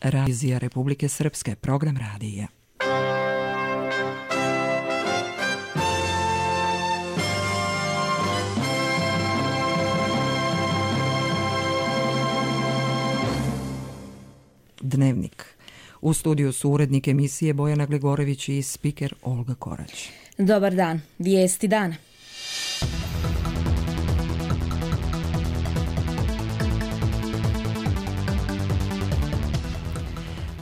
Radija Republike Srpske, program radija. Dnevnik. U studiju su urednik emisije Bojana Glegorević i spiker Olga Korać. Dobar dan. Vijesti dana.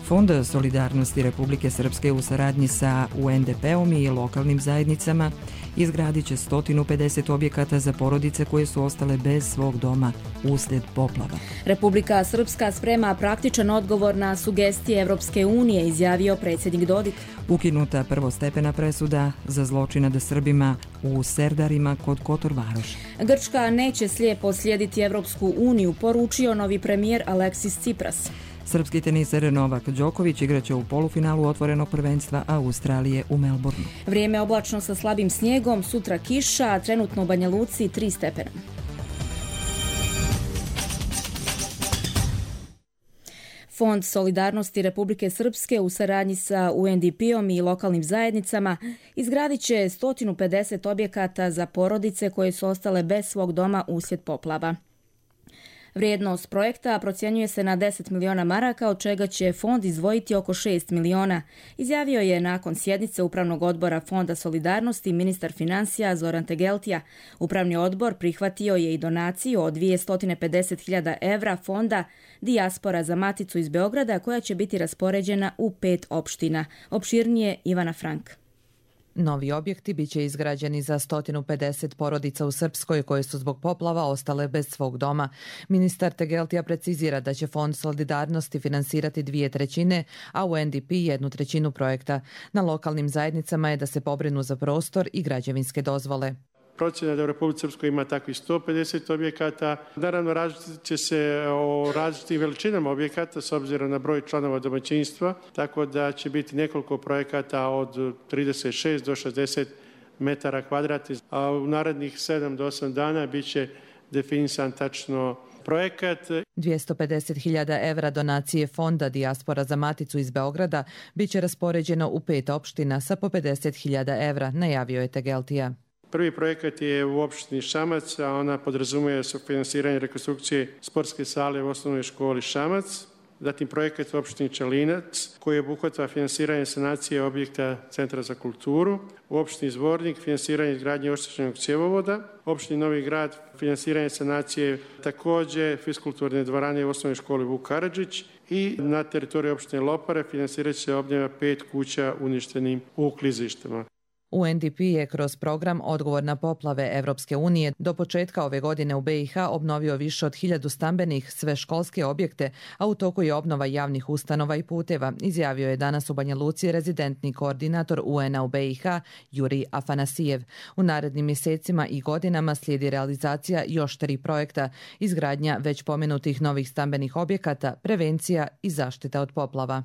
Fond solidarnosti Republike Srpske u saradnji sa UNDP-om i lokalnim zajednicama izgradit će 150 objekata za porodice koje su ostale bez svog doma uslijed poplava. Republika Srpska sprema praktičan odgovor na sugestije Evropske unije, izjavio predsjednik Dodik. Ukinuta prvostepena presuda za zločin nad Srbima u Serdarima kod Kotor Varoša. Grčka neće slijepo slijediti Evropsku uniju, poručio novi premijer Aleksis Tsipras. Srpski teniser Novak Đoković igraće u polufinalu otvorenog prvenstva Australije u Melbourneu. Vrijeme oblačno sa slabim snijegom, sutra kiša, trenutno u Banja Luci 3 stepena. Fond solidarnosti Republike Srpske u saradnji sa UNDP-om i lokalnim zajednicama izgradit će 150 objekata za porodice koje su ostale bez svog doma uslijed poplava. Vrijednost projekta procjenjuje se na 10 miliona maraka, od čega će fond izdvojiti oko 6 miliona, izjavio je nakon sjednice Upravnog odbora Fonda solidarnosti ministar financija Zoran Tegeltija. Upravni odbor prihvatio je i donaciju od 250.000 evra fonda Dijaspora za Maticu iz Beograda, koja će biti raspoređena u 5 opština. Opširnije Ivana Frank. Novi objekti biće izgrađeni za 150 porodica u Srpskoj koje su zbog poplava ostale bez svog doma. Ministar Tegeltija precizira da će Fond solidarnosti finansirati 2/3, a UNDP 1/3 projekta. Na lokalnim zajednicama je da se pobrinu za prostor i građevinske dozvole. Procjena da u Republici Srpskoj ima takvih 150 objekata. Naravno, različit će se o različitim veličinama objekata s obzirom na broj članova domaćinstva, tako da će biti nekoliko projekata od 36 do 60 metara kvadratnih, a u narednih 7 do 8 dana bit će definisan tačno projekat. 250.000 evra donacije fonda Dijaspora za Maticu iz Beograda bit će raspoređeno u 5 opština sa po 50.000 evra, najavio je Tegeltija. Prvi projekat je u opštini Šamac, a ona podrazumuje sufinansiranje rekonstrukcije sportske sale u osnovnoj školi Šamac. Zatim projekat u opštini Čelinac, koji obuhvata finansiranje sanacije objekta Centra za kulturu. U opštini Zvornik finansiranje izgradnje oštećenog cjevovoda. U opštini Novi Grad finansiranje sanacije također fiskulturne dvorane u osnovnoj školi Vuk Karadžić. I na teritoriji opštine Lopare financirat će se obnova 5 kuća uništenim u klizištima. UNDP je kroz program Odgovor na poplave Evropske unije do početka ove godine u BiH obnovio više od 1000 stambenih sve školske objekte, a u toku je obnova javnih ustanova i puteva, izjavio je danas u Banja Luci rezidentni koordinator UN-a u BiH Juri Afanasijev. U narednim mjesecima i godinama slijedi realizacija još 3 projekta, izgradnja već pomenutih novih stambenih objekata, prevencija i zaštita od poplava.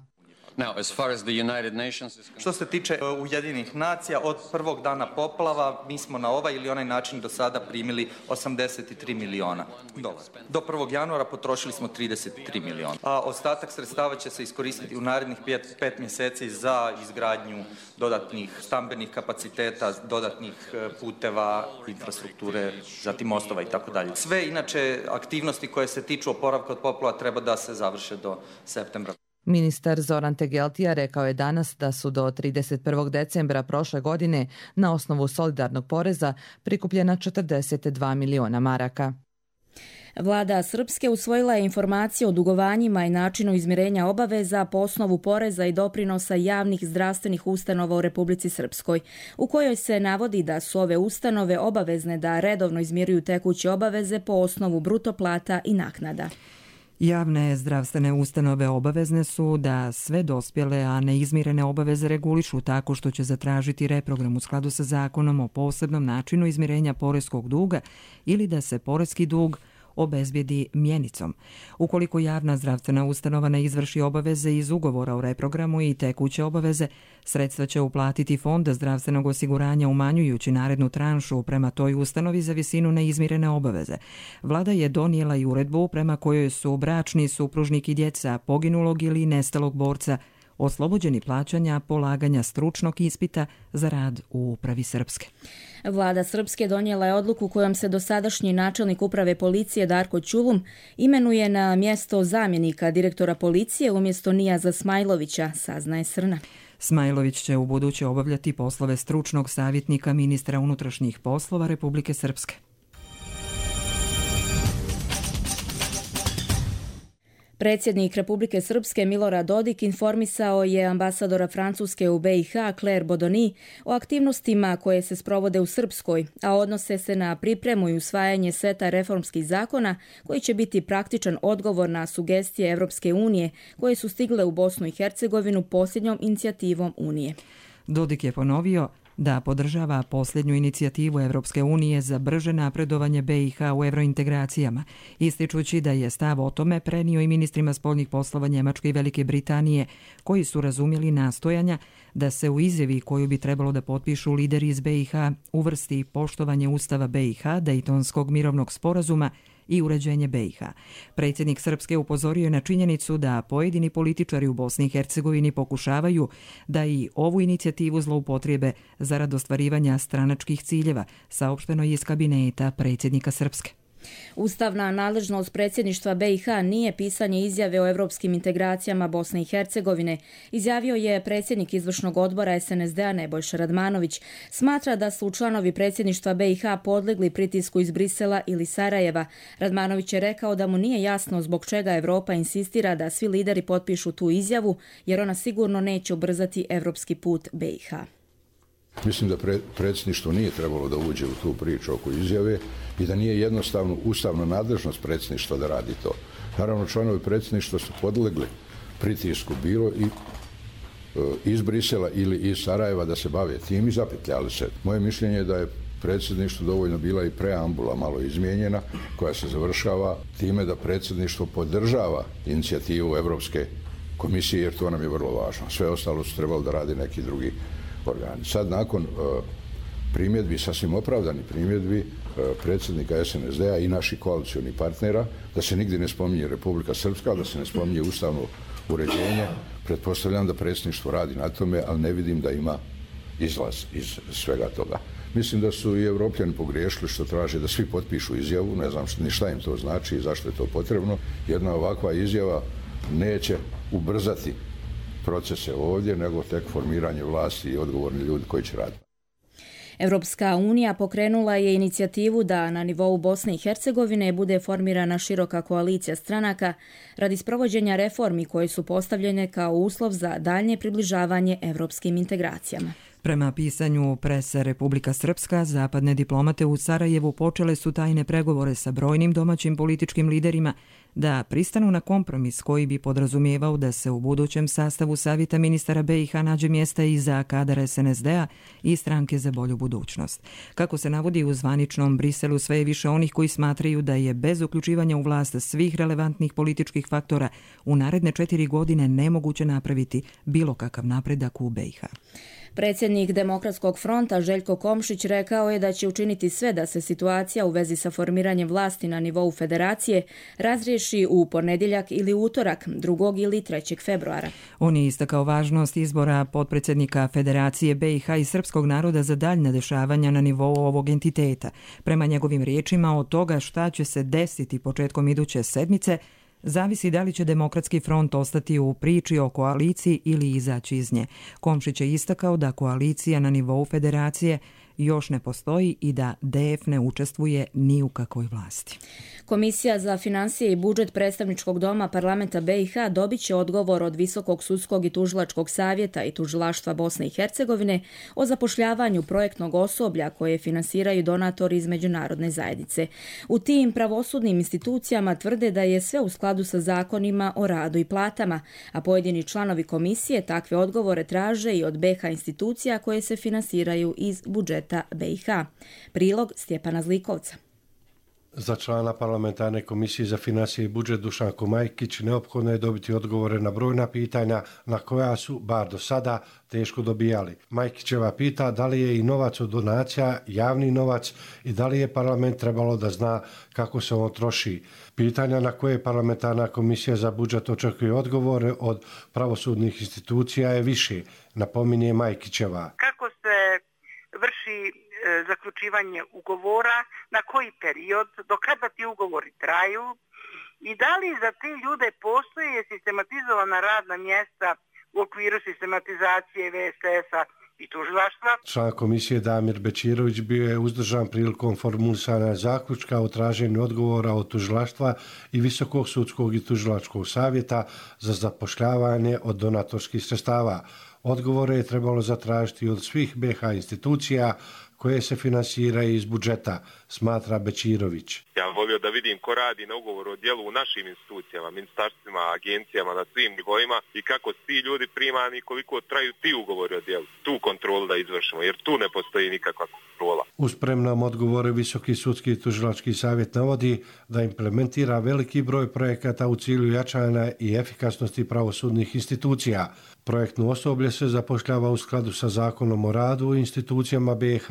Što se tiče Ujedinjenih nacija, od prvog dana poplava mi smo na ovaj ili onaj način do sada primili 83 miliona dolara. Do 1. januara potrošili smo 33 miliona. A ostatak sredstava će se iskoristiti u narednih 5 mjeseci za izgradnju dodatnih stambenih kapaciteta, dodatnih puteva, infrastrukture, zatim mostova i tako dalje. Sve inače aktivnosti koje se tiču oporavka od poplava treba da se završe do septembra. Ministar Zoran Tegeltija rekao je danas da su do 31. decembra prošle godine na osnovu solidarnog poreza prikupljena 42 miliona maraka. Vlada Srpske usvojila je informacije o dugovanjima i načinu izmirenja obaveza po osnovu poreza i doprinosa javnih zdravstvenih ustanova u Republici Srpskoj, u kojoj se navodi da su ove ustanove obavezne da redovno izmiruju tekuće obaveze po osnovu bruto plata i naknada. Javne zdravstvene ustanove obavezne su da sve dospjele, a neizmirene obaveze regulišu tako što će zatražiti reprogram u skladu sa zakonom o posebnom načinu izmirenja poreskog duga ili da se poreski dug obezbijedi mjenicom. Ukoliko javna zdravstvena ustanova ne izvrši obaveze iz ugovora o reprogramu i tekuće obaveze, sredstva će uplatiti Fond zdravstvenog osiguranja umanjujući narednu tranšu prema toj ustanovi za visinu neizmirene obaveze. Vlada je donijela i uredbu prema kojoj su bračni supružnik i djeca poginulog ili nestalog borca oslobođeni plaćanja polaganja stručnog ispita za rad u Upravi Srpske. Vlada Srpske donijela je odluku kojom se dosadašnji načelnik Uprave policije Darko Ćulum imenuje na mjesto zamjenika direktora policije umjesto Nijaza Smajlovića, saznaje Srna. Smajlović će ubuduće obavljati poslove stručnog savjetnika ministra unutrašnjih poslova Republike Srpske. Predsjednik Republike Srpske Milorad Dodik informisao je ambasadora Francuske u BiH Claire Bodoni o aktivnostima koje se sprovode u Srpskoj, a odnose se na pripremu i usvajanje seta reformskih zakona koji će biti praktičan odgovor na sugestije Evropske unije koje su stigle u Bosnu i Hercegovinu posljednjom inicijativom Unije. Dodik je ponovio da podržava posljednju inicijativu Evropske unije za brže napredovanje BiH u evrointegracijama, ističući da je stav o tome prenio i ministrima spoljnih poslova Njemačke i Velike Britanije, koji su razumjeli nastojanja da se u izjavi koju bi trebalo da potpišu lideri iz BiH uvrsti poštovanje Ustava BiH, Dejtonskog mirovnog sporazuma i uređenje BiH. Predsjednik Srpske upozorio je na činjenicu da pojedini političari u Bosni i Hercegovini pokušavaju da i ovu inicijativu zloupotrijebe zarad ostvarivanja stranačkih ciljeva, saopšteno je iz kabineta predsjednika Srpske. Ustavna nadležnost predsjedništva BiH nije pisanje izjave o evropskim integracijama Bosne i Hercegovine, izjavio je predsjednik izvršnog odbora SNSD-a Nebojša Radmanović. Smatra da su članovi predsjedništva BiH podlegli pritisku iz Brisela ili Sarajeva. Radmanović je rekao da mu nije jasno zbog čega Evropa insistira da svi lideri potpišu tu izjavu, jer ona sigurno neće ubrzati evropski put BiH. Mislim da predsjedništvo nije trebalo da uđe u tu priču oko izjave i da nije jednostavno ustavna nadležnost predsjedništva da radi to. Naravno, članovi predsjedništva su podlegli pritisku bilo i iz Brisela ili iz Sarajeva da se bave tim i zapetljali se. Moje mišljenje je da je predsjedništvu dovoljno bila i preambula malo izmijenjena koja se završava time da predsjedništvo podržava inicijativu Evropske komisije jer to nam je vrlo važno. Sve ostalo su trebalo da radi neki drugi organi. Sad nakon primjedbi, sasvim opravdani primjedbi predsjednika SNSD-a i naših koalicionih partnera, da se nigdje ne spominje Republika Srpska, da se ne spominje ustavno uređenje, pretpostavljam da predsjedništvo radi na tome, ali ne vidim da ima izlaz iz svega toga. Mislim da su i Evropljani pogriješili što traže da svi potpišu izjavu, ne znam ni šta im to znači i zašto je to potrebno. Jedna ovakva izjava neće ubrzati procese ovdje, nego tek formiranje vlasti i odgovorni ljudi koji će raditi. Evropska unija pokrenula je inicijativu da na nivou Bosne i Hercegovine bude formirana široka koalicija stranaka radi sprovođenja reformi koje su postavljene kao uslov za daljnje približavanje evropskim integracijama. Prema pisanju prese Republika Srpska, zapadne diplomate u Sarajevu počele su tajne pregovore sa brojnim domaćim političkim liderima da pristanu na kompromis koji bi podrazumijevao da se u budućem sastavu Savjeta ministara BiH nađe mjesta i za kadar SNSD-a i stranke za bolju budućnost. Kako se navodi u zvaničnom Briselu, sve je više onih koji smatraju da je bez uključivanja u vlast svih relevantnih političkih faktora u naredne 4 godine nemoguće napraviti bilo kakav napredak u BiH. Predsjednik Demokratskog fronta Željko Komšić rekao je da će učiniti sve da se situacija u vezi sa formiranjem vlasti na nivou federacije razriješi u ponedjeljak ili utorak 2. ili 3. februara. On je istakao važnost izbora potpredsjednika Federacije BiH i srpskog naroda za daljna dešavanja na nivou ovog entiteta. Prema njegovim riječima, od toga šta će se desiti početkom iduće sedmice zavisi da li će Demokratski front ostati u priči o koaliciji ili izaći iz nje. Komšić je istakao da koalicija na nivou federacije još ne postoji i da DF ne učestvuje ni u kakvoj vlasti. Komisija za financije i budžet predstavničkog doma parlamenta BiH dobit će odgovor od Visokog sudskog i tužilačkog savjeta i tužilaštva Bosne i Hercegovine o zapošljavanju projektnog osoblja koje finansiraju donatori iz međunarodne zajednice. U tim pravosudnim institucijama tvrde da je sve u skladu sa zakonima o radu i platama, a pojedini članovi komisije takve odgovore traže i od BiH institucija koje se finansiraju iz budžeta BiH. Prilog Stjepana Zlikovca. Za člana parlamentarne komisije za financije i budžet Dušanko Majkić neophodno je dobiti odgovore na brojna pitanja na koja su, bar do sada, teško dobijali. Majkićeva pita da li je i novac od donacija javni novac i da li je parlament trebalo da zna kako se on troši. Pitanja na koje parlamentarna komisija za budžet očekuje odgovore od pravosudnih institucija je više, napominje Majkićeva. Kako se vrši zaključivanje ugovora, na koji period, do kada ti ugovori traju i da li za te ljude postoje sistematizovana radna mjesta u okviru sistematizacije VSS-a i tužilaštva. Član komisije Damir Bečirović bio je uzdržan prilikom formulisanja zaključka o traženju odgovora od tužilaštva i Visokog sudskog i tužilačkog savjeta za zapošljavanje od donatorskih sredstava. Odgovore je trebalo zatražiti od svih BiH institucija koje se finansiraju iz budžeta, smatra Bečirović. Ja volio da vidim ko radi na ugovoru o djelu u našim institucijama, ministarstvima, agencijama, na svim nivoima i kako ti ljudi primani i koliko traju ti ugovori o djelu. Tu kontrolu da izvršimo, jer tu ne postoji nikakva kontrola. U spremnom odgovore Visoki sudski i tužilački savjet navodi da implementira veliki broj projekata u cilju jačanja i efikasnosti pravosudnih institucija. Projektno osoblje se zapošljava u skladu sa Zakonom o radu u institucijama BiH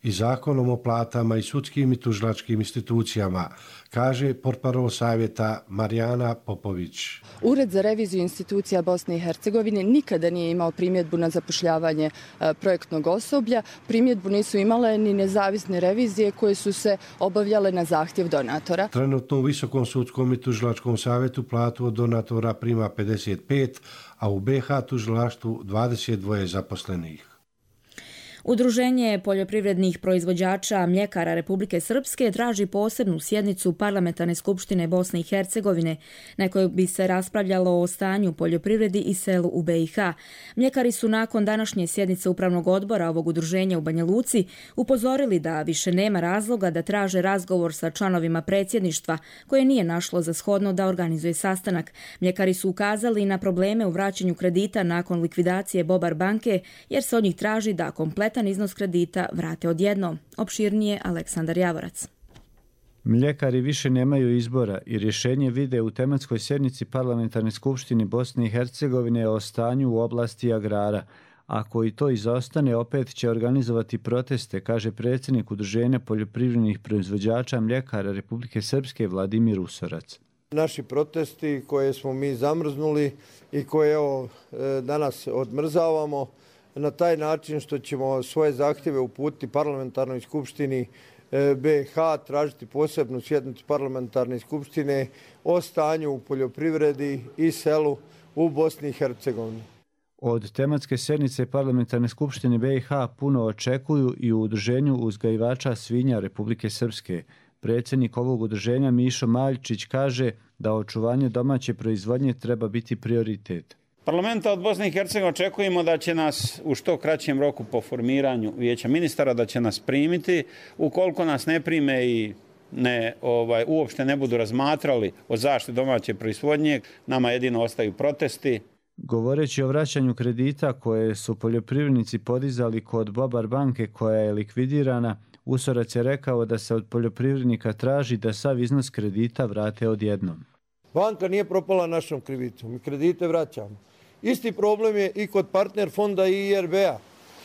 i Zakonom o platama i sudskim i tužilačkim institucijama, kaže portparol savjeta Marijana Popović. Ured za reviziju institucija Bosne i Hercegovine nikada nije imao primjedbu na zapošljavanje projektnog osoblja. Primjedbu nisu imale ni nezavisne revizije koje su se obavljale na zahtjev donatora. Trenutno u Visokom sudskom i tužilačkom savjetu platu od donatora prima 55, a u BiH tužilaštvu 22 zaposlenih. Udruženje poljoprivrednih proizvođača mljekara Republike Srpske traži posebnu sjednicu Parlamentarne skupštine Bosne i Hercegovine na kojoj bi se raspravljalo o stanju u poljoprivredi i selu u BiH. Mljekari su nakon današnje sjednice upravnog odbora ovog udruženja u Banja Luci upozorili da više nema razloga da traže razgovor sa članovima predsjedništva koje nije našlo za shodno da organizuje sastanak. Mljekari su ukazali na probleme u vraćanju kredita nakon likvidacije Bobar banke jer se od njih traži da kompletno iznos kredita vrate odjednom. Opširnije Aleksandar Javorac. Mljekari više nemaju izbora i rješenje vide u tematskoj sjednici Parlamentarne skupštine Bosne i Hercegovine o stanju u oblasti agrara. Ako i to izostane, opet će organizovati proteste, kaže predsjednik Udruženja poljoprivrednih proizvođača mljekara Republike Srpske Vladimir Usorac. Naši protesti koje smo mi zamrznuli i koje danas odmrzavamo, na taj način što ćemo svoje zahtjeve uputiti Parlamentarnoj skupštini BiH, tražiti posebnu sjednicu Parlamentarne skupštine o stanju u poljoprivredi i selu u Bosni i Hercegovini. Od tematske sjednice Parlamentarne skupštine BiH puno očekuju i u Udruženju uzgajivača svinja Republike Srpske. Predsjednik ovog udruženja Mišo Maljčić kaže da očuvanje domaće proizvodnje treba biti prioritet. Parlamenta od Bosne i Hercegovine očekujemo da će nas u što kraćem roku po formiranju vijeća ministara da će nas primiti. Ukoliko nas ne prime i uopšte ne budu razmatrali o zaštiti domaće proizvodnje, nama jedino ostaju protesti. Govoreći o vraćanju kredita koje su poljoprivrednici podizali kod Bobar banke koja je likvidirana, Usorac je rekao da se od poljoprivrednika traži da sav iznos kredita vrate odjednom. Banka nije propala našom krivicom, mi kredite vraćamo. Isti problem je i kod partner fonda i IRB-a,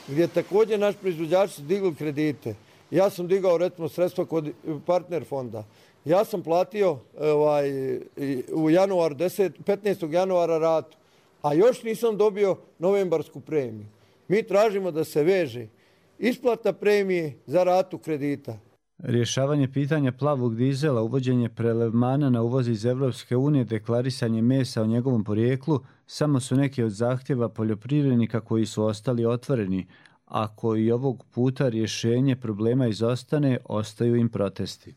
gdje također naš proizvođači su digli kredite. Ja sam digao recimo sredstva kod partner fonda. Ja sam platio u 15. januara ratu, a još nisam dobio novembarsku premiju. Mi tražimo da se veže isplata premije za ratu kredita. Rješavanje pitanja plavog dizela, uvođenje prelevmana na uvoz iz Evropske unije, deklarisanje mesa o njegovom porijeklu samo su neki od zahtjeva poljoprivrednika koji su ostali otvoreni. Ako i ovog puta rješenje problema izostane, ostaju im protesti.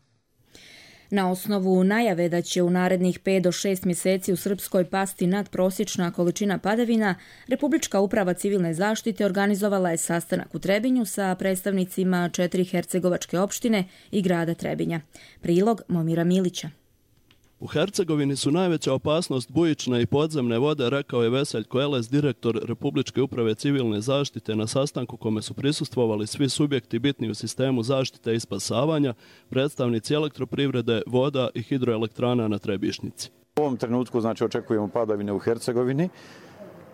Na osnovu najave da će u narednih 5 do 6 mjeseci u Srpskoj pasti nadprosječna količina padavina, Republička uprava civilne zaštite organizovala je sastanak u Trebinju sa predstavnicima 4 hercegovačke opštine i grada Trebinja. Prilog Momira Milića. U Hercegovini su najveća opasnost bujične i podzemne vode, rekao je Veseljko Eles, direktor Republičke uprave civilne zaštite na sastanku kome su prisustvovali svi subjekti bitni u sistemu zaštite i spasavanja, predstavnici elektroprivrede, voda i hidroelektrana na Trebišnjici. U ovom trenutku očekujemo padavine u Hercegovini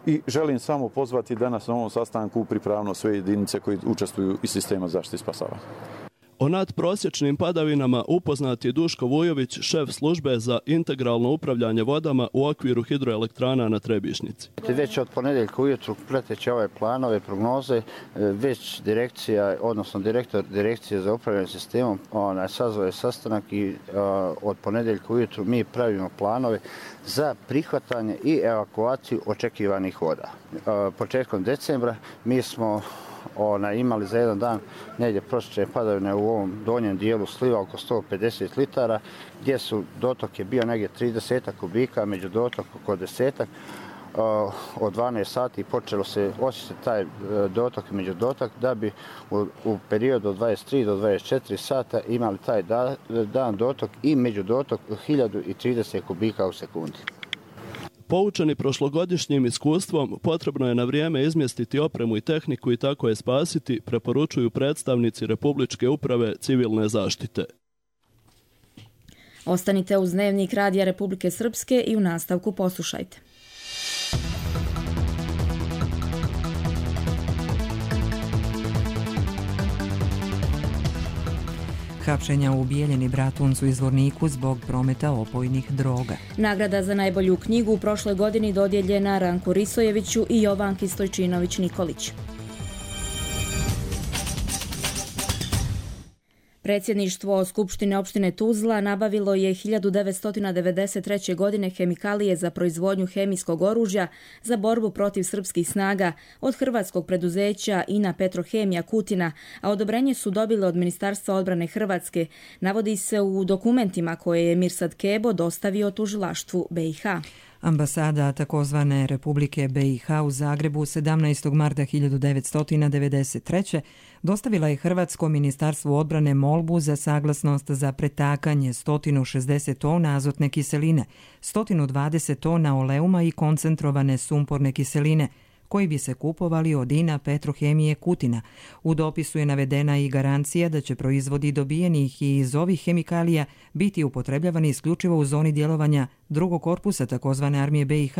i želim samo pozvati danas na ovom sastanku u pripravnost sve jedinice koji učestvuju iz sistema zaštite i spasavanja. O nadprosječnim padavinama upoznat je Duško Vujović, šef službe za integralno upravljanje vodama u okviru hidroelektrana na Trebišnjici. Već od ponedjeljka ujutru prateći ove planove, prognoze, već direkcija, odnosno direktor direkcije za upravljanje sistemom sazvao je sastanak i od ponedjeljka ujutru mi pravimo planove za prihvatanje i evakuaciju očekivanih voda. Početkom decembra mi smo imali za jedan dan negdje prosječne padavine u ovom donjem dijelu sliva oko 150 litara, gdje su dotok je bio negdje 30 kubika, među dotok oko 10. Od 12 sati počelo se osjetiti taj dotok i među dotok, da bi u periodu od 23 do 24 sata imali taj dan dotok i među dotok 1030 kubika u sekundi. Poučeni prošlogodišnjim iskustvom, potrebno je na vrijeme izmjestiti opremu i tehniku i tako je spasiti, preporučuju predstavnici Republičke uprave civilne zaštite. Ostanite uz Dnevnik Radija Republike Srpske i u nastavku poslušajte. Hapšenja u Bijeljini, Bratuncu i Zvorniku zbog prometa opojnih droga. Nagrada za najbolju knjigu u prošloj godini dodijeljena Ranku Risojeviću i Jovanki Stojčinović-Nikolić. Predsjedništvo Skupštine opštine Tuzla nabavilo je 1993. godine hemikalije za proizvodnju hemijskog oružja za borbu protiv srpskih snaga od hrvatskog preduzeća INA Petrohemija Kutina, a odobrenje su dobile od Ministarstva odbrane Hrvatske, navodi se u dokumentima koje je Mirsad Kebo dostavio tužilaštvu BiH. Ambasada takozvane Republike BiH u Zagrebu 17. marta 1993. dostavila je Hrvatsko ministarstvo odbrane molbu za saglasnost za pretakanje 160 tona azotne kiseline, 120 tona oleuma i koncentrovane sumporne kiseline, koji bi se kupovali od INA Petrohemije Kutina. U dopisu je navedena i garancija da će proizvodi dobijenih iz ovih hemikalija biti upotrebljavani isključivo u zoni djelovanja drugog korpusa takozvane armije BiH,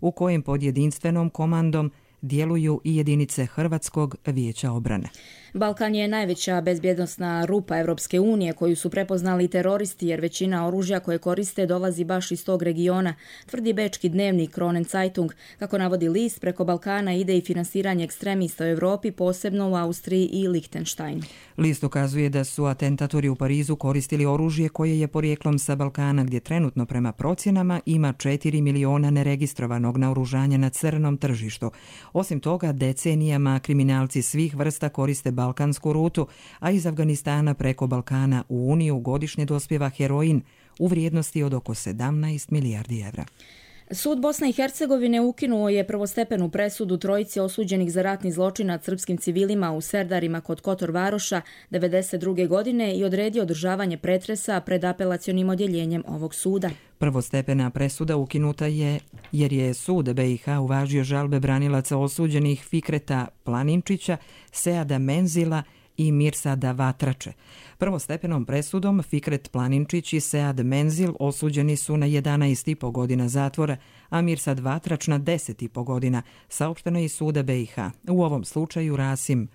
u kojem pod jedinstvenom komandom djeluju i jedinice Hrvatskog vijeća obrane. Balkan je najveća bezbjednosna rupa Europske unije koju su prepoznali teroristi, jer većina oružja koje koriste dolazi baš iz tog regiona, tvrdi bečki dnevnik Kronen Zeitung. Kako navodi list, preko Balkana ide i finansiranje ekstremista u Europi, posebno u Austriji i Lichtenstein. List ukazuje da su atentatori u Parizu koristili oružje koje je porijeklom sa Balkana, gdje trenutno prema procjenama ima 4 miliona neregistrovanog naoružanja na crnom tržištu. Osim toga, decenijama kriminalci svih vrsta koriste balkansku rutu, a iz Afganistana preko Balkana u Uniju godišnje dospijeva heroin u vrijednosti od oko 17 milijardi evra. Sud Bosne i Hercegovine ukinuo je prvostepenu presudu trojici osuđenih za ratni zločin nad srpskim civilima u Serdarima kod Kotor Varoša 1992. godine i odredio održavanje pretresa pred apelacionim odjeljenjem ovog suda. Prvostepena presuda ukinuta je jer je sud BiH uvažio žalbe branilaca osuđenih Fikreta Planinčića, Seada Menzila i Mirsada Vatrače. Prvostepenom presudom Fikret Planinčić i Sead Menzil osuđeni su na 11,5 godina zatvora, a Mirsad Vatrač na 10,5 godina, saopšteno iz suda BiH. U ovom slučaju Rasim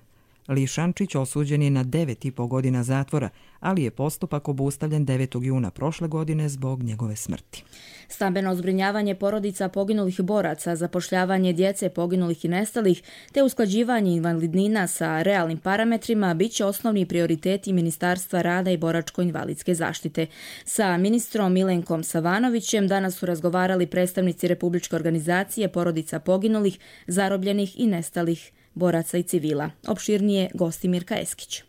Lišančić osuđen je na 9,5 godina zatvora, ali je postupak obustavljen 9. juna prošle godine zbog njegove smrti. Stambeno zbrinjavanje porodica poginulih boraca, zapošljavanje djece poginulih i nestalih, te usklađivanje invalidnina sa realnim parametrima bit će osnovni prioriteti Ministarstva rada i boračko-invalidske zaštite. Sa ministrom Milenkom Savanovićem danas su razgovarali predstavnici Republičke organizacije porodica poginulih, zarobljenih i nestalih boraca i civila. Opširnije gosti Mirka Eskić.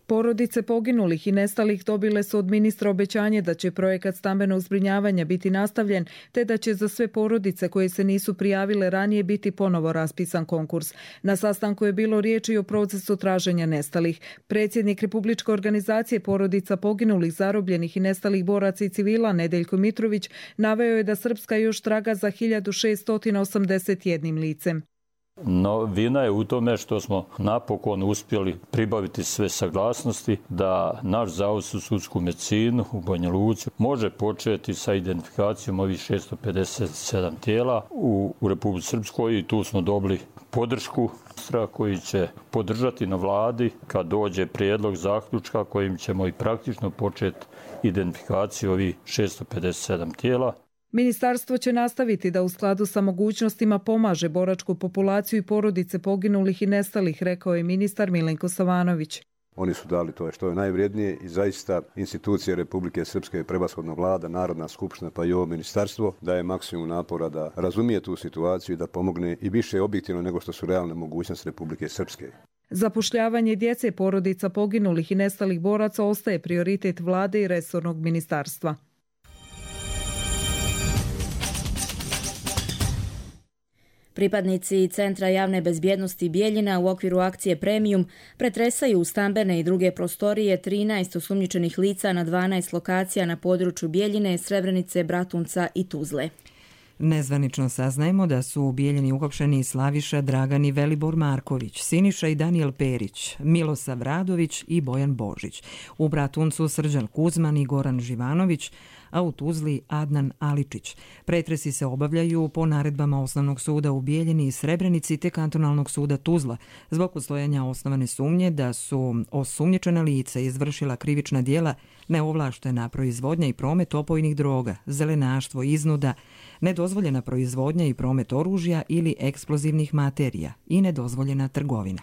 Porodice poginulih i nestalih dobile su od ministra obećanje da će projekat stambenog zbrinjavanja biti nastavljen, te da će za sve porodice koje se nisu prijavile ranije biti ponovo raspisan konkurs. Na sastanku je bilo riječi o procesu traženja nestalih. Predsjednik Republičke organizacije porodica poginulih, zarobljenih i nestalih boraca i civila Nedeljko Mitrović naveo je da Srpska još traga za 1681 licem. Novina je u tome što smo napokon uspjeli pribaviti sve saglasnosti da naš Zavod za sudsku medicinu u Banja Luci može početi sa identifikacijom ovih 657 tijela u Republici Srpskoj i tu smo dobili podršku koji će podržati na vladi kad dođe prijedlog zaključka kojim ćemo i praktično početi identifikaciju ovih 657 tijela. Ministarstvo će nastaviti da u skladu sa mogućnostima pomaže boračku populaciju i porodice poginulih i nestalih, rekao je ministar Milenko Savanović. Oni su dali to što je najvrijednije i zaista institucije Republike Srpske, prevashodno vlada, Narodna skupština pa i ovo ministarstvo daje maksimum napora da razumije tu situaciju i da pomogne i više objektivno nego što su realne mogućnosti Republike Srpske. Zapošljavanje djece porodica poginulih i nestalih boraca ostaje prioritet vlade i resornog ministarstva. Pripadnici Centra javne bezbjednosti Bijeljina u okviru akcije Premium pretresaju stambene i druge prostorije 13 osumnjičenih lica na 12 lokacija na području Bijeljine, Srebrenice, Bratunca i Tuzle. Nezvanično saznajemo da su u Bijeljini uhapšeni Slaviša, Dragan i Velibor Marković, Siniša i Danijel Perić, Milosav Radović i Bojan Božić. U Bratuncu Srđan Kuzman i Goran Živanović, a u Tuzli Adnan Aličić. Pretresi se obavljaju po naredbama Osnovnog suda u Bijeljini i Srebrenici te Kantonalnog suda Tuzla zbog postojanja osnovane sumnje da su osumnjičena lica izvršila krivična djela neovlaštena proizvodnja i promet opojnih droga, zelenaštvo, iznuda, nedozvoljena proizvodnja i promet oružja ili eksplozivnih materija i nedozvoljena trgovina.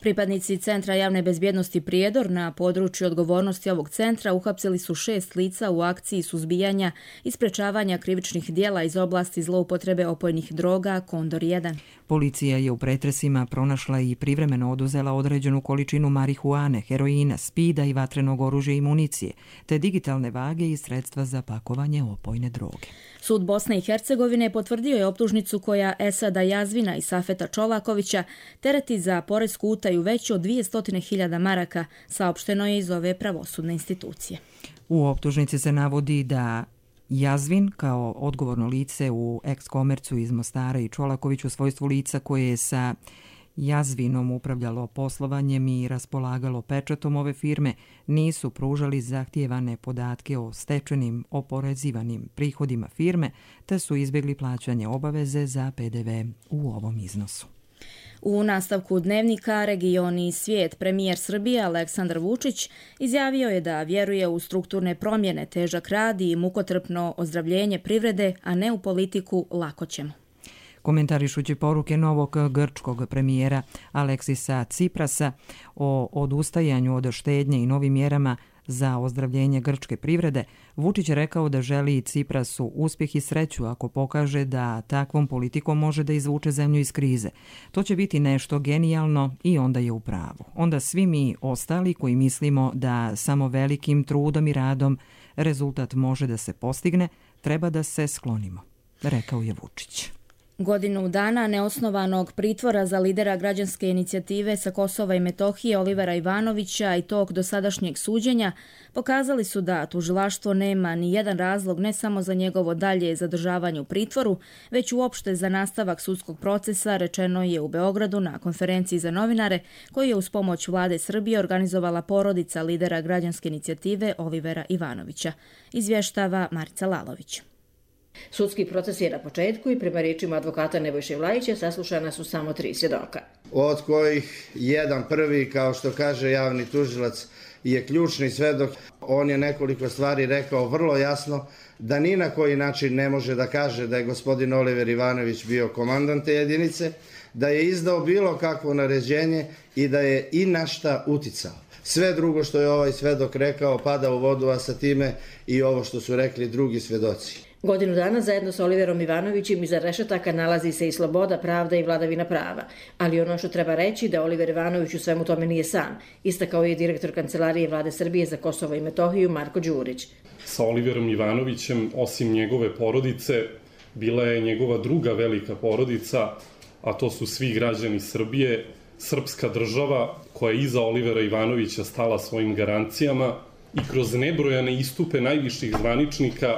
Pripadnici Centra javne bezbjednosti Prijedor na području odgovornosti ovog centra uhapsili su 6 lica u akciji suzbijanja i sprečavanja krivičnih djela iz oblasti zloupotrebe opojnih droga Kondor 1. Policija je u pretresima pronašla i privremeno oduzela određenu količinu marihuane, heroina, spida i vatrenog oružja i municije, te digitalne vage i sredstva za pakovanje opojne droge. Sud Bosne i Hercegovine potvrdio je optužnicu koja Esada Jazvina i Safeta Čolakovića tereti za poresku utaju veću od 200.000 maraka, saopšteno je iz ove pravosudne institucije. U optužnici se navodi da Jazvin kao odgovorno lice u Ex-Komercu iz Mostara i Čolaković u svojstvu lica koje je sa Jazvinom upravljalo poslovanjem i raspolagalo pečatom ove firme nisu pružali zahtijevane podatke o stečenim oporezivanim prihodima firme te su izbjegli plaćanje obaveze za PDV u ovom iznosu. U nastavku dnevnika Regioni i svijet premijer Srbije Aleksandar Vučić izjavio je da vjeruje u strukturne promjene, težak rad i mukotrpno ozdravljenje privrede, a ne u politiku lako ćemo. Komentarišući poruke novog grčkog premijera Aleksisa Ciprasa o odustajanju od štednje i novim mjerama za ozdravljenje grčke privrede, Vučić je rekao da želi Ciprasu uspjeh i sreću ako pokaže da takvom politikom može da izvuče zemlju iz krize. To će biti nešto genijalno i onda je u pravu. Onda svi mi ostali koji mislimo da samo velikim trudom i radom rezultat može da se postigne, treba da se sklonimo, rekao je Vučić. Godinu dana neosnovanog pritvora za lidera građanske inicijative sa Kosova i Metohije Olivera Ivanovića i tog dosadašnjeg suđenja pokazali su da tužilaštvo nema ni jedan razlog ne samo za njegovo dalje zadržavanje u pritvoru, već uopšte za nastavak sudskog procesa, rečeno je u Beogradu na konferenciji za novinare koju je uz pomoć vlade Srbije organizovala porodica lidera građanske inicijative Olivera Ivanovića. Izvještava Marica Lalović. Sudski proces je na početku i prema riječima advokata Nebojše Vlajića saslušana su samo 3 svjedoka. Od kojih jedan prvi, kao što kaže javni tužilac, je ključni svedok. On je nekoliko stvari rekao vrlo jasno da ni na koji način ne može da kaže da je gospodin Oliver Ivanović bio komandant te jedinice, da je izdao bilo kakvo naređenje i da je i na šta uticao. Sve drugo što je ovaj svedok rekao pada u vodu, a sa time i ovo što su rekli drugi svedoci. Godinu dana zajedno sa Oliverom Ivanovićem iza rešetaka nalazi se i sloboda, pravda i vladavina prava. Ali ono što treba reći da Oliver Ivanović u svemu tome nije sam, istakao je direktor Kancelarije Vlade Srbije za Kosovo i Metohiju Marko Đurić. Sa Oliverom Ivanovićem, osim njegove porodice, bila je njegova druga velika porodica, a to su svi građani Srbije, srpska država koja je iza Olivera Ivanovića stala svojim garancijama i kroz nebrojane istupe najviših zvaničnika,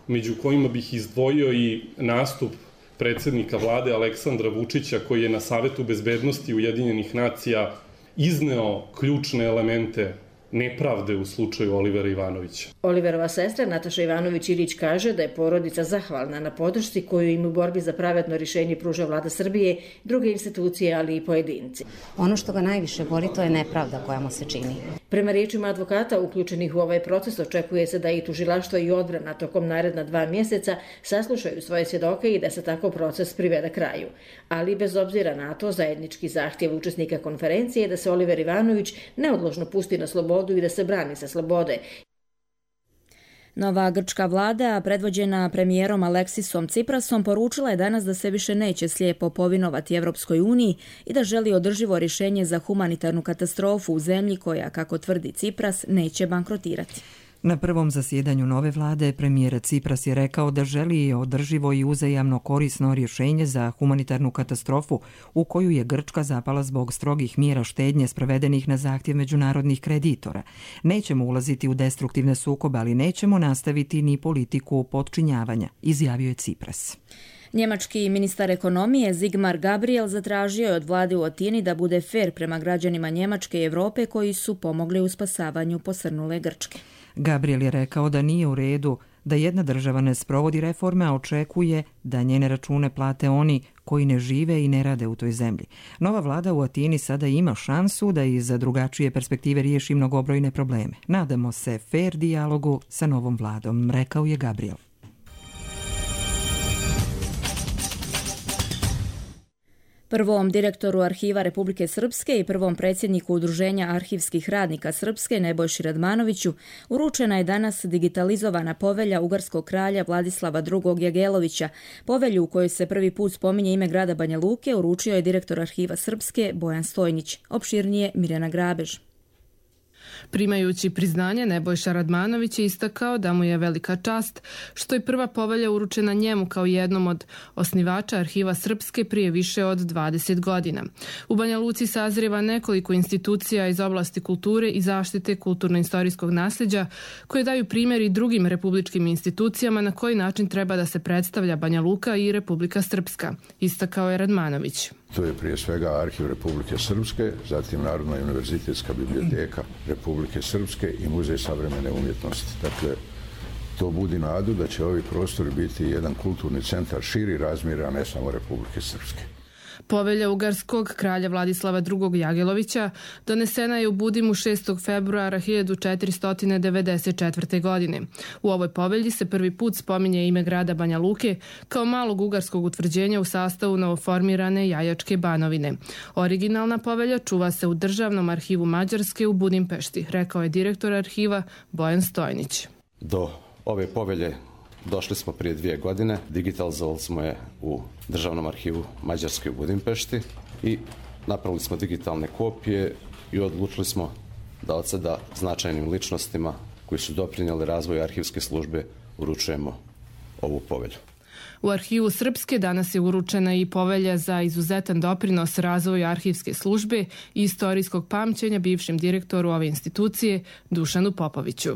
među kojima bih izdvojio i nastup predsednika vlade Aleksandra Vučića, koji je na Savetu bezbednosti Ujedinjenih nacija izneo ključne elemente nepravde u slučaju Olivera Ivanovića. Oliverova sestra Nataša Ivanović-Ilić kaže da je porodica zahvalna na podršci koju im u borbi za pravedno rješenje pruža Vlada Srbije, druge institucije, ali i pojedinci. Ono što ga najviše boli, to je nepravda koja mu se čini. Prema riječima advokata uključenih u ovaj proces, očekuje se da i tužilaštvo i odbrana tokom naredna 2 mjeseca saslušaju svoje svjedoke i da se tako proces privede kraju. Ali bez obzira na to, zajednički zahtjev učesnika konferencije je da se Oliver Ivanović neodložno pusti na slobodu i da se brani sa slobode. Nova grčka vlada, predvođena premijerom Aleksisom Ciprasom, poručila je danas da se više neće slijepo povinovati Evropskoj uniji i da želi održivo rješenje za humanitarnu katastrofu u zemlji koja, kako tvrdi Cipras, neće bankrotirati. Na prvom zasjedanju nove vlade premijer Cipras je rekao da želi održivo i uzajamno korisno rješenje za humanitarnu katastrofu u koju je Grčka zapala zbog strogih mjera štednje sprovedenih na zahtjev međunarodnih kreditora. Nećemo ulaziti u destruktivne sukobe, ali nećemo nastaviti ni politiku potčinjavanja, izjavio je Cipras. Njemački ministar ekonomije Sigmar Gabriel zatražio je od vlade u Atini da bude fer prema građanima Njemačke i Europe koji su pomogli u spasavanju posrnule Grčke. Gabriel je rekao da nije u redu da jedna država ne sprovodi reforme, a očekuje da njene račune plate oni koji ne žive i ne rade u toj zemlji. Nova vlada u Atini sada ima šansu da iz drugačije perspektive riješi mnogobrojne probleme. Nadamo se fer dijalogu sa novom vladom, rekao je Gabriel. Prvom direktoru Arhiva Republike Srpske i prvom predsjedniku Udruženja arhivskih radnika Srpske Nebojši Radmanoviću uručena je danas digitalizovana povelja ugarskog kralja Vladislava II. Jagelovića. Povelju u kojoj se prvi put spominje ime grada Banja Luke uručio je direktor Arhiva Srpske Bojan Stojnić. Opširnije Mirjana Grabež. Primajući priznanje, Nebojša Radmanović je istakao da mu je velika čast što je prva povelja uručena njemu kao jednom od osnivača Arhiva Srpske prije više od 20 godina. U Banja Luci sazrijeva nekoliko institucija iz oblasti kulture i zaštite kulturno-istorijskog nasljeđa koje daju primjer i drugim republičkim institucijama na koji način treba da se predstavlja Banja Luka i Republika Srpska, istakao je Radmanović. To je prije svega Arhiv Republike Srpske, zatim Narodna univerzitetska biblioteka Republike Srpske i Muzej savremene umjetnosti. Dakle, to budi nadu da će ovi prostori biti jedan kulturni centar širi razmjera, a ne samo Republike Srpske. Povelja ugarskog kralja Vladislava II. Jagelovića donesena je u Budimu 6. februara 1494. godine. U ovoj povelji se prvi put spominje ime grada Banja Luke kao malog ugarskog utvrđenja u sastavu novoformirane Jajačke Banovine. Originalna povelja čuva se u Državnom arhivu Mađarske u Budimpešti, rekao je direktor arhiva Bojan Stojnić. Do ove povelje došli smo prije 2 godine, digitalizovali smo je u Državnom arhivu Mađarske u Budimpešti i napravili smo digitalne kopije i odlučili smo da od sada značajnim ličnostima koji su doprinijeli razvoju arhivske službe uručujemo ovu povelju. U Arhivu Srpske danas je uručena i povelja za izuzetan doprinos razvoju arhivske službe i istorijskog pamćenja bivšem direktoru ove institucije Dušanu Popoviću.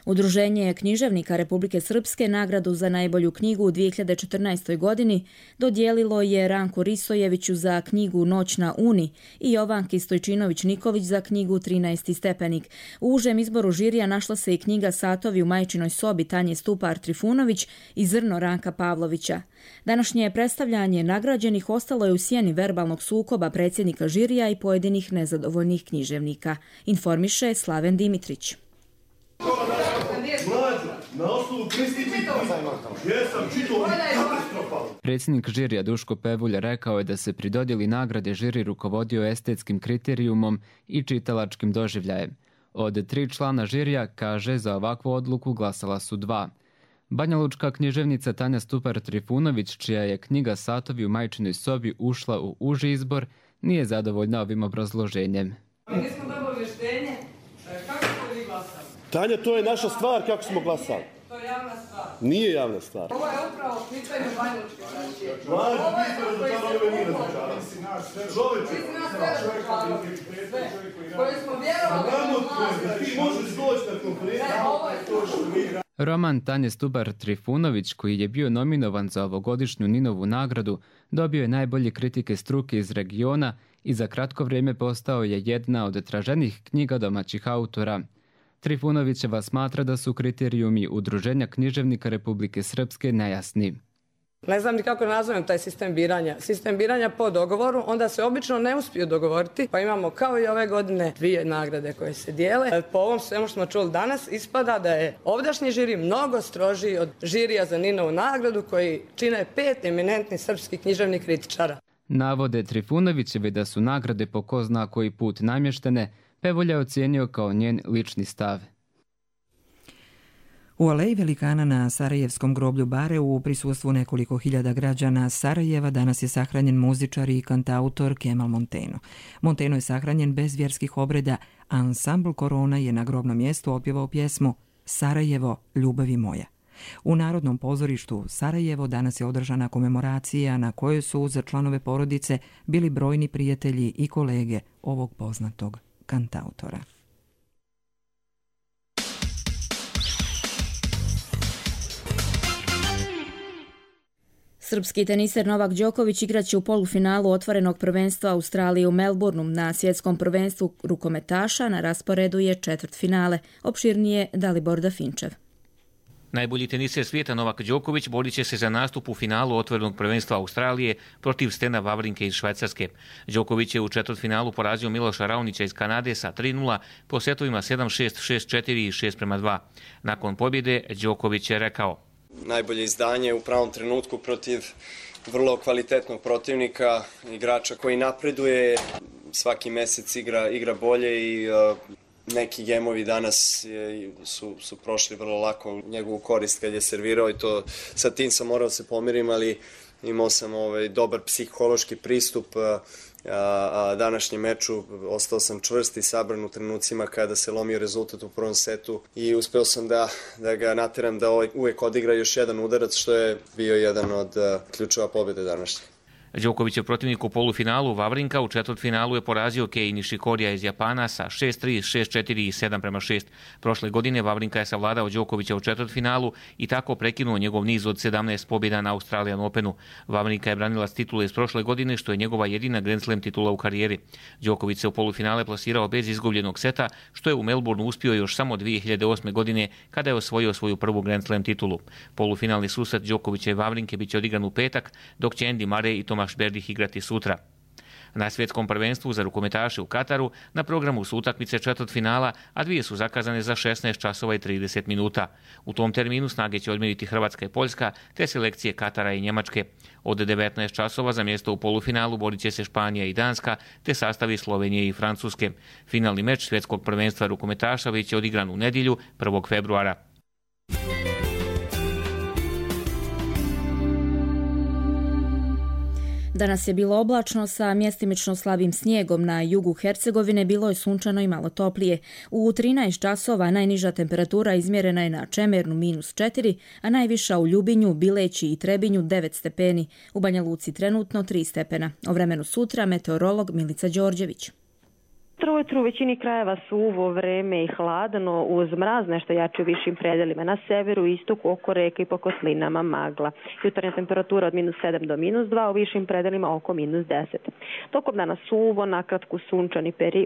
Udruženje književnika Republike Srpske nagradu za najbolju knjigu u 2014. godini dodijelilo je Ranku Risojeviću za knjigu Noć na Uni i Jovanki Stojčinović-Niković za knjigu 13. stepenik. U užem izboru žirija našla se i knjiga Satovi u majčinoj sobi Tanje Stupar-Trifunović i Zrno Ranka Pavlovića. Današnje predstavljanje nagrađenih ostalo je u sjeni verbalnog sukoba predsjednika žirija i pojedinih nezadovoljnih književnika, informiše Slaven Dimitrić. Predsjednik žirija Duško Pevulja rekao je da se pri dodjeli nagrade žiri rukovodio estetskim kriterijumom i čitalačkim doživljajem. Od 3 člana žirija, kaže, za ovakvu odluku glasala su 2. Banjalučka književnica Tanja Stupar-Trifunović, čija je knjiga Satovi u majčinoj sobi ušla u uži izbor, nije zadovoljna ovim obrazloženjem. Mi nismo dobili vještenje, kako ste vi glasali? Tanja, to je naša stvar kako smo glasali. To je javna stvar. Nije javna stvar. Ovo je upravo pitanje Banjalučke braće. koji smo vjerovali Roman Tanje Stubar-Trifunović, koji je bio nominovan za ovogodišnju Ninovu nagradu, dobio je najbolje kritike struke iz regiona i za kratko vrijeme postao je jedna od traženijih knjiga domaćih autora. Trifunovićeva smatra da su kriterijumi Udruženja književnika Republike Srpske nejasni. Ne znam ni kako nazovem taj sistem biranja. Sistem biranja po dogovoru, onda se obično ne uspiju dogovoriti, pa imamo kao i ove godine 2 nagrade koje se dijele. Po ovom svemu što smo čuli danas, ispada da je ovdašnji žiri mnogo strožiji od žirija za Ninovu nagradu, koji čine 5 eminentnih srpskih književnih kritičara. Navode Trifunovićevi da su nagrade po ko zna koji put namještene, Pevolja ocijenio kao njen lični stav. U aleji velikana na Sarajevskom groblju Bare u prisustvu nekoliko hiljada građana Sarajeva danas je sahranjen muzičar i kantautor Kemal Monteno. Monteno je sahranjen bez vjerskih obreda, a ansambl Korona je na grobnom mjestu otpjevao pjesmu Sarajevo, ljubavi moja. U Narodnom pozorištu Sarajevo danas je održana komemoracija na kojoj su za članove porodice bili brojni prijatelji i kolege ovog poznatog kantautora. Srpski teniser Novak Đoković igraće u polufinalu otvorenog prvenstva Australije u Melbourneu. Na svjetskom prvenstvu rukometaša na rasporedu je četvrtfinale. Opširnije Dalibor Dafinčev. Najbolji teniser svijeta Novak Đoković borit će se za nastup u finalu otvorenog prvenstva Australije protiv Stena Wawrinke iz Švajcarske. Đoković je u četvrtfinalu porazio Miloša Raonića iz Kanade sa 3:0 po setovima 7-6, 6-4 i 6:2. Nakon pobjede Đoković je rekao: najbolje izdanje u pravom trenutku protiv vrlo kvalitetnog protivnika, igrača koji napreduje, svaki mjesec igra bolje i neki gemovi danas su prošli vrlo lako u njegovu korist kad je servirao i to sa tim sam morao se pomirim, ali imao sam dobar psihološki pristup današnjem meču, ostao sam čvrst i sabran u trenucima kada se lomio rezultat u prvom setu i uspeo sam da ga nateram da uvijek odigra još jedan udarac, što je bio jedan od ključeva pobjede današnje. Đokovićev protivnik u polufinalu Wawrinka u četvrtfinalu je porazio Kei Nishikorija iz Japana sa 6-3, 6-4 i 7:6. Prošle godine Wawrinka je savladao Đokovića u četvrtfinalu i tako prekinuo njegov niz od 17 pobjeda na Australian Openu. Wawrinka je branilac titule iz prošle godine, što je njegova jedina Grand Slam titula u karijeri. Đoković se u polufinale plasirao bez izgubljenog seta, što je u Melbourneu uspio još samo 2008. godine kada je osvojio svoju prvu Grand Slam titulu. Polufinalni susret Đokovića i Wawrinke biće odigran u petak, dok će Andy Murray i Tomaš Berdych igrati sutra. Na svjetskom prvenstvu za rukometaše u Kataru na programu su utakmice četvrtfinala, a 2 su zakazane za 16 časova i 30 minuta. U tom terminu snage će odmjeriti Hrvatska i Poljska, te selekcije Katara i Njemačke. Od 19 časova za mjesto u polufinalu borit će se Španija i Danska, te sastavi Slovenije i Francuske. Finalni meč svjetskog prvenstva rukometaša biće odigran u nedjelju 1. februara. Danas je bilo oblačno sa mjestimično slabim snijegom. Na jugu Hercegovine bilo je sunčano i malo toplije. U 13 časova najniža temperatura izmjerena je na Čemernu -4, a najviša u Ljubinju, Bileći i Trebinju 9 stepeni. U Banja Luci trenutno 3 stepena. O vremenu sutra meteorolog Milica Đorđević. Ujutru u većini krajeva suvo vreme i hladno uz mraz nešto jače u višim predelima. Na severu i istoku oko reka i po kotlinama magla. Jutarnja temperatura od -7 do -2, u višim predelima oko -10. Tokom dana suvo, nakratko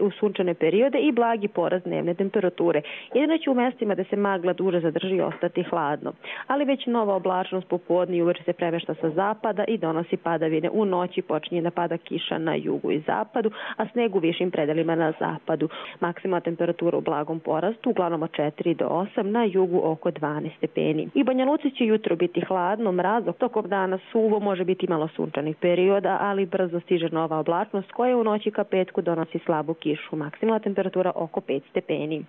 u sunčane periode i blagi porast dnevne temperature. Jedino će u mjestima da se magla duže zadrži ostati hladno. Ali već nova oblačnost popodne i uveče se premešta sa zapada i donosi padavine. U noći počinje da pada kiša na jugu i zapadu, a sneg u višim predelima na zapadu. Maksimalna temperatura u blagom porastu, uglavnom od 4 do 8, na jugu oko 12 stepeni. I Banja Luci će jutro biti hladno, mrazno, tokom dana suvo, može biti malo sunčanih perioda, ali brzo stiže nova oblačnost koja u noći ka petku donosi slabu kišu. Maksimalna temperatura oko 5 stepeni.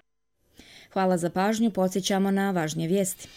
Hvala za pažnju, podsjećamo na važnije vijesti.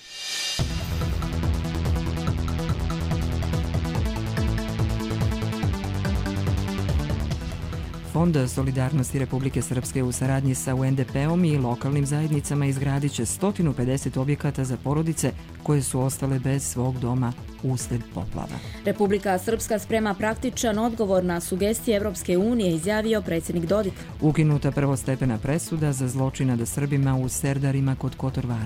Fond solidarnosti Republike Srpske u saradnji sa UNDP-om i lokalnim zajednicama izgradit će 150 objekata za porodice koje su ostale bez svog doma usled poplava. Republika Srpska sprema praktičan odgovor na sugestije Evropske unije, izjavio predsjednik Dodik. Ukinuta prvostepena presuda za zločin nad Srbima u Serdarima kod Kotorvara.